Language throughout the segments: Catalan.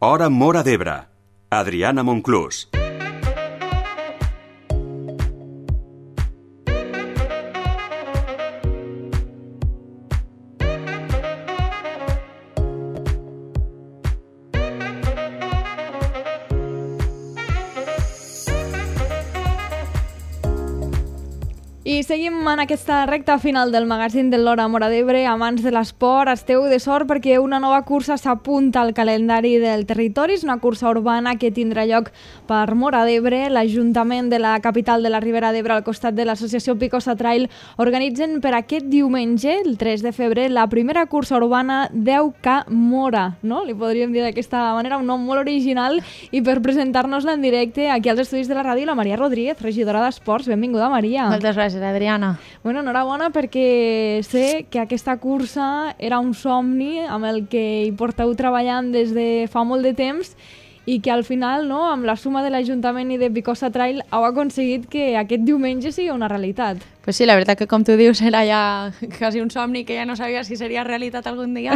Hora Móra d'Ebre. Adriana Monclús. I seguim en aquesta recta final del magazín de l'Hora Móra d'Ebre. Amants de l'esport, esteu de sort perquè una nova cursa s'apunta al calendari del territori. És una cursa urbana que tindrà lloc per Móra d'Ebre. L'Ajuntament de la capital de la Ribera d'Ebre, al costat de l'associació Picosa Trail, organitzen per aquest diumenge, el 3 de febrer, la primera cursa urbana 10K Móra, no? Li podríem dir d'aquesta manera, un nom molt original. I per presentar-nos-la en directe aquí als estudis de la ràdio, la Maria Rodríguez, regidora d'Esports. Benvinguda, Maria. Moltes gràcies, Adriana. Bueno, enhorabona perquè sé que aquesta cursa era un somni amb el que hi porteu treballant des de fa molt de temps i que al final, no, amb la suma de l'Ajuntament i de Picosa Trail, heu aconseguit que aquest diumenge sigui una realitat. Pues sí, la veritat que com tu dius era ja quasi un somni que ja no sabia si seria realitat algun dia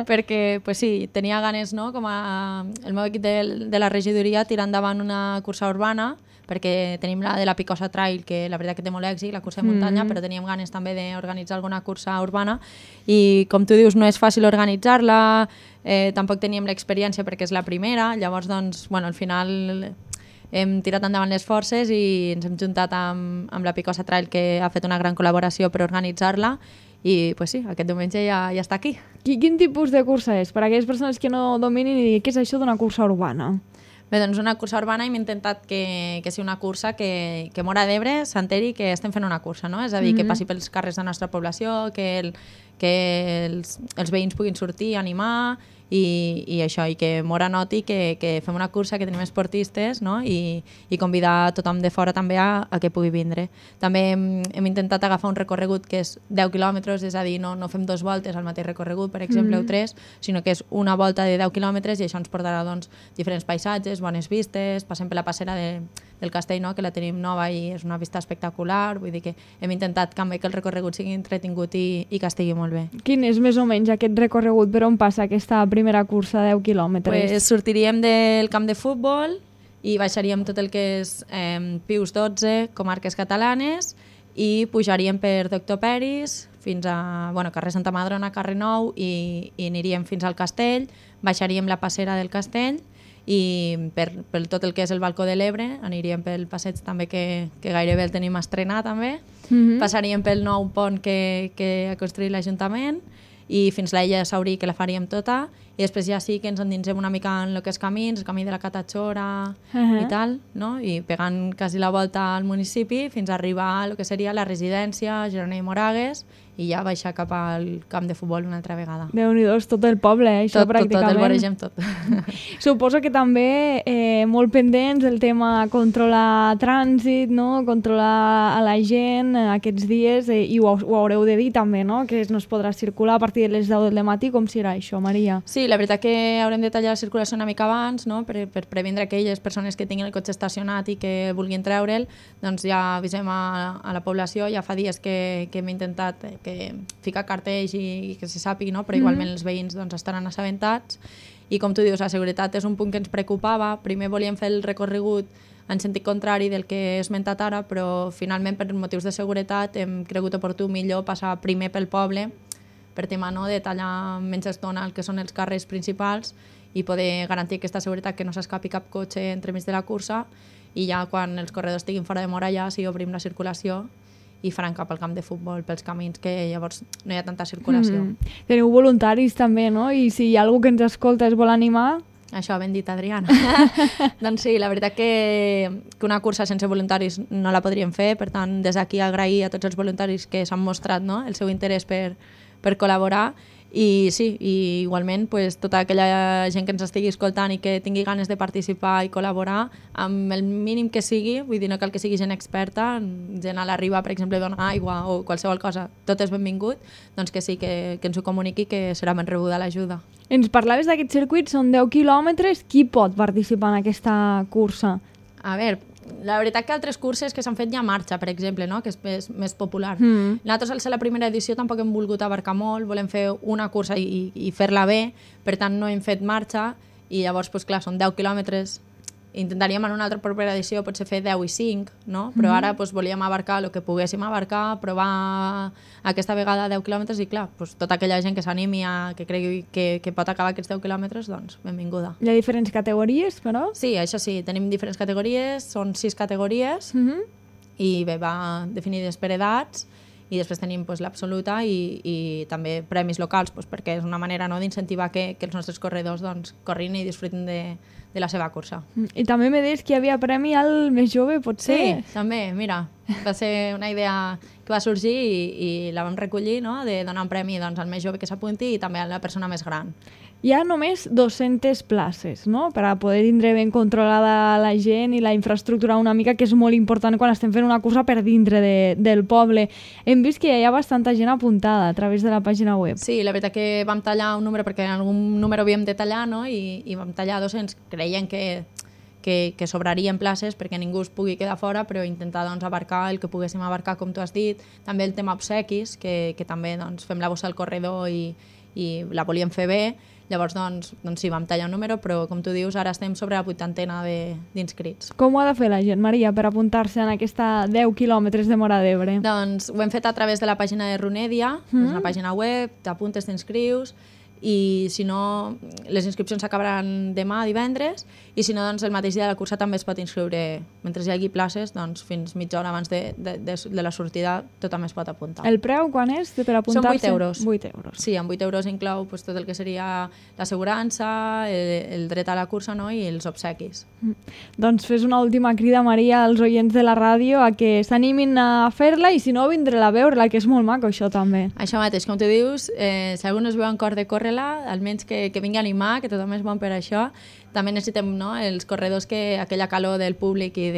perquè pues sí, tenia ganes, no, com a el meu equip de la regidoria, tirar endavant una cursa urbana perquè tenim la de la Picosa Trail, que la veritat que té molt èxit, la cursa de muntanya, però teníem ganes també d'organitzar alguna cursa urbana i, com tu dius, no és fàcil organitzar-la, tampoc teníem l'experiència perquè és la primera, llavors, doncs, bueno, al final hem tirat endavant les forces i ens hem juntat amb la Picosa Trail, que ha fet una gran col·laboració per organitzar-la i, pues sí, aquest diumenge ja està aquí. Quin tipus de cursa és? Per a aquelles persones que no dominin i què és això d'una cursa urbana? Bé, doncs una cursa urbana hem intentat que sigui una cursa que Móra d'Ebre s'enteri que estem fent una cursa, no? És a dir, que passi pels carrers de la nostra població, que els veïns puguin sortir, animar i això, i que Móra noti que fem una cursa, que tenim esportistes, no? I convidar tothom de fora també a que pugui vindre. També hem intentat agafar un recorregut que és 10 quilòmetres, és a dir, no fem 2 voltes al mateix recorregut, per exemple, o 3, sinó que és una volta de 10 quilòmetres i això ens portarà, doncs, diferents paisatges, bones vistes, passem per la passera del castell, no? Que la tenim nova i és una vista espectacular, vull dir que hem intentat també que el recorregut sigui entretingut i que estigui molt bé. Quin és més o menys aquest recorregut? Per on passa aquesta primera cursa de 10 quilòmetres? Pues sortiríem del camp de futbol i baixaríem tot el que és Pius XII, comarques catalanes, i pujaríem per Doctor Peris fins a carrer Santa Madrona, carrer Nou, i aniríem fins al castell, baixaríem la passera del castell i per tot el que és el balcó de l'Ebre aniríem pel passeig també que gairebé el tenim estrenat també, passaríem pel nou pont que ha construït l'Ajuntament i fins l'Illa de Saurí, que la faríem tota, i després ja sí que ens endinsem una mica en el que és camins, el camí de la Catachora i tal, no? I pegant quasi la volta al municipi fins a arribar a el que seria la residència, Girona i Moragues, i ja baixar cap al camp de futbol una altra vegada. Déu-n'hi-do, és tot el poble, això pràcticament. Tot, el voregem tot. Suposo que també molt pendents del tema controlar trànsit, no? Controlar a la gent aquests dies, i ho haureu de dir també, no? Que no es podrà circular a partir de les 10 del matí. Com serà això, Maria? Sí, la veritat que haurem de tallar la circulació una mica abans, no? per previndre aquelles persones que tinguin el cotxe estacionat i que vulguin treure'l, doncs ja avisem a la població. Ja fa dies que hem intentat ficar cartells i que se sàpigui, no? Però igualment els veïns doncs, estaran assabentats. I com tu dius, la seguretat és un punt que ens preocupava. Primer volíem fer el recorregut en sentit contrari del que he esmentat ara, però finalment per motius de seguretat hem cregut oportú millor passar primer pel poble per tema, no, de tallar menys estona el que són els carrers principals i poder garantir aquesta seguretat, que no s'escapi cap cotxe entremig de la cursa, i ja quan els corredors estiguin fora de Móra ja sí obrim la circulació i faran cap al camp de futbol pels camins, que llavors no hi ha tanta circulació. Teniu voluntaris també, no? I si hi ha algú que ens escolta es vol animar... Això, ben dit, Adriana. Doncs sí, la veritat que una cursa sense voluntaris no la podríem fer, per tant, des d'aquí agrair a tots els voluntaris que s'han mostrat, no?, el seu interès per col·laborar. I sí, i igualment pues, tota aquella gent que ens estigui escoltant i que tingui ganes de participar i col·laborar amb el mínim que sigui, vull dir, no cal que sigui gent experta, gent a la riba, per exemple, donar aigua o qualsevol cosa, tot és benvingut, doncs que sí, que ens ho comuniqui, que serà ben rebuda l'ajuda. Ens parlaves d'aquest circuit, són 10 quilòmetres, qui pot participar en aquesta cursa? A veure, la veritat que altres curses que s'han fet ja a marxa, per exemple, no? Que és més popular. Nosaltres, al ser la primera edició, tampoc hem volgut abarcar molt, volem fer una cursa i fer-la bé, per tant no hem fet marxa, i llavors, doncs, clar, són 10 quilòmetres. Intentaríem en una altra propera edició potser fer 10 i 5, no? Però ara doncs, volíem abarcar el que poguéssim abarcar, provar aquesta vegada 10 quilòmetres i clar, doncs, tota aquella gent que s'animi, que cregui que pot acabar aquests 10 quilòmetres, doncs benvinguda. Hi ha diferents categories, però? Sí, això sí, tenim diferents categories, són 6 categories i bé, va definides per edats i després tenim doncs, l'absoluta i també premis locals, doncs, perquè és una manera, no, d'incentivar que els nostres corredors doncs, corrin i disfrutin de la seva cursa. I també me deies que hi havia premi al més jove, potser? Sí, també, mira, va ser una idea que va sorgir i la vam recollir, no? De donar un premi doncs, al més jove que s'apunti i també a la persona més gran. Hi ha només 200 places, no?, per a poder tindre ben controlada la gent i la infraestructura una mica, que és molt important quan estem fent una cursa per dintre del poble. Hem vist que hi ha bastanta gent apuntada a través de la pàgina web. Sí, la veritat que vam tallar un número, perquè en algun número havíem de tallar, no? I vam tallar 200, creien que sobrarien places perquè ningú es pugui quedar fora, però intentar doncs, abarcar el que poguéssim abarcar, com tu has dit. També el tema obsequis, que també doncs, fem la bossa al corredor i la volíem fer bé. Llavors, doncs sí, vam tallar un número, però com tu dius, ara estem sobre la 80ena d'inscrits. Com ho ha de fer la gent, Maria, per apuntar-se en aquesta 10 quilòmetres de Móra d'Ebre? Doncs ho hem fet a través de la pàgina de Runedia, és una pàgina web, t'apuntes, t'inscrius, i si no, les inscripcions s'acabaran demà, divendres, i si no, doncs el mateix dia de la cursa també es pot inscriure. Mentre hi hagi places, doncs fins mitja hora abans de la sortida tothom es pot apuntar. El preu quan és per apuntar-se? Són 8 euros. 8 euros. Sí, amb 8 euros inclou pues, tot el que seria l'assegurança, el dret a la cursa, no? I els obsequis. Doncs fes una última crida, Maria, als oients de la ràdio a que s'animin a fer-la i si no, vindré-la a veure-la, que és molt maco això també. Això mateix, com tu dius, si algú no es veu en cor de córrer-la, almenys que vingui a animar, que tothom és bon per això. També necessitem, no, els corredors, que aquella calor del públic i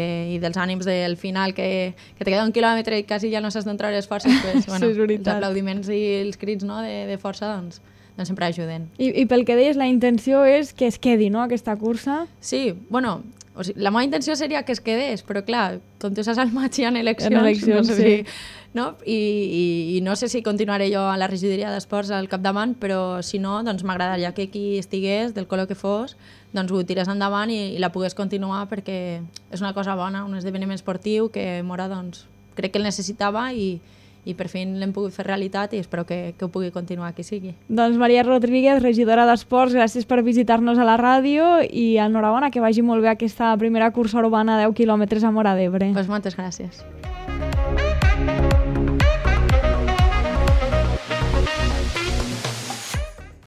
dels ànims del final, que te queda un quilòmetre i quasi ja no saps d'on treure les forces, pues, bueno, sí, els aplaudiments i els crits, no, de força doncs sempre ajuden. I pel que deies, la intenció és que es quedi, no, aquesta cursa? Sí, bueno, o sigui, la meva intenció seria que es quedés, però clar, com tu saps, al maig hi ha eleccions, no sé sí. No? I no sé si continuaré jo a la regidoria d'esports al capdavant, però si no, doncs m'agradaria que qui estigués, del color que fos, doncs ho tirés endavant i la pogués continuar, perquè és una cosa bona, un esdeveniment esportiu que Móra doncs, crec que el necessitava i per fi l'hem pogut fer realitat i espero que ho pugui continuar qui sigui. Doncs Maria Rodríguez, regidora d'Esports, gràcies per visitar-nos a la ràdio i enhorabona, que vagi molt bé aquesta primera cursa urbana 10 quilòmetres a Móra d'Ebre. Pues moltes gràcies.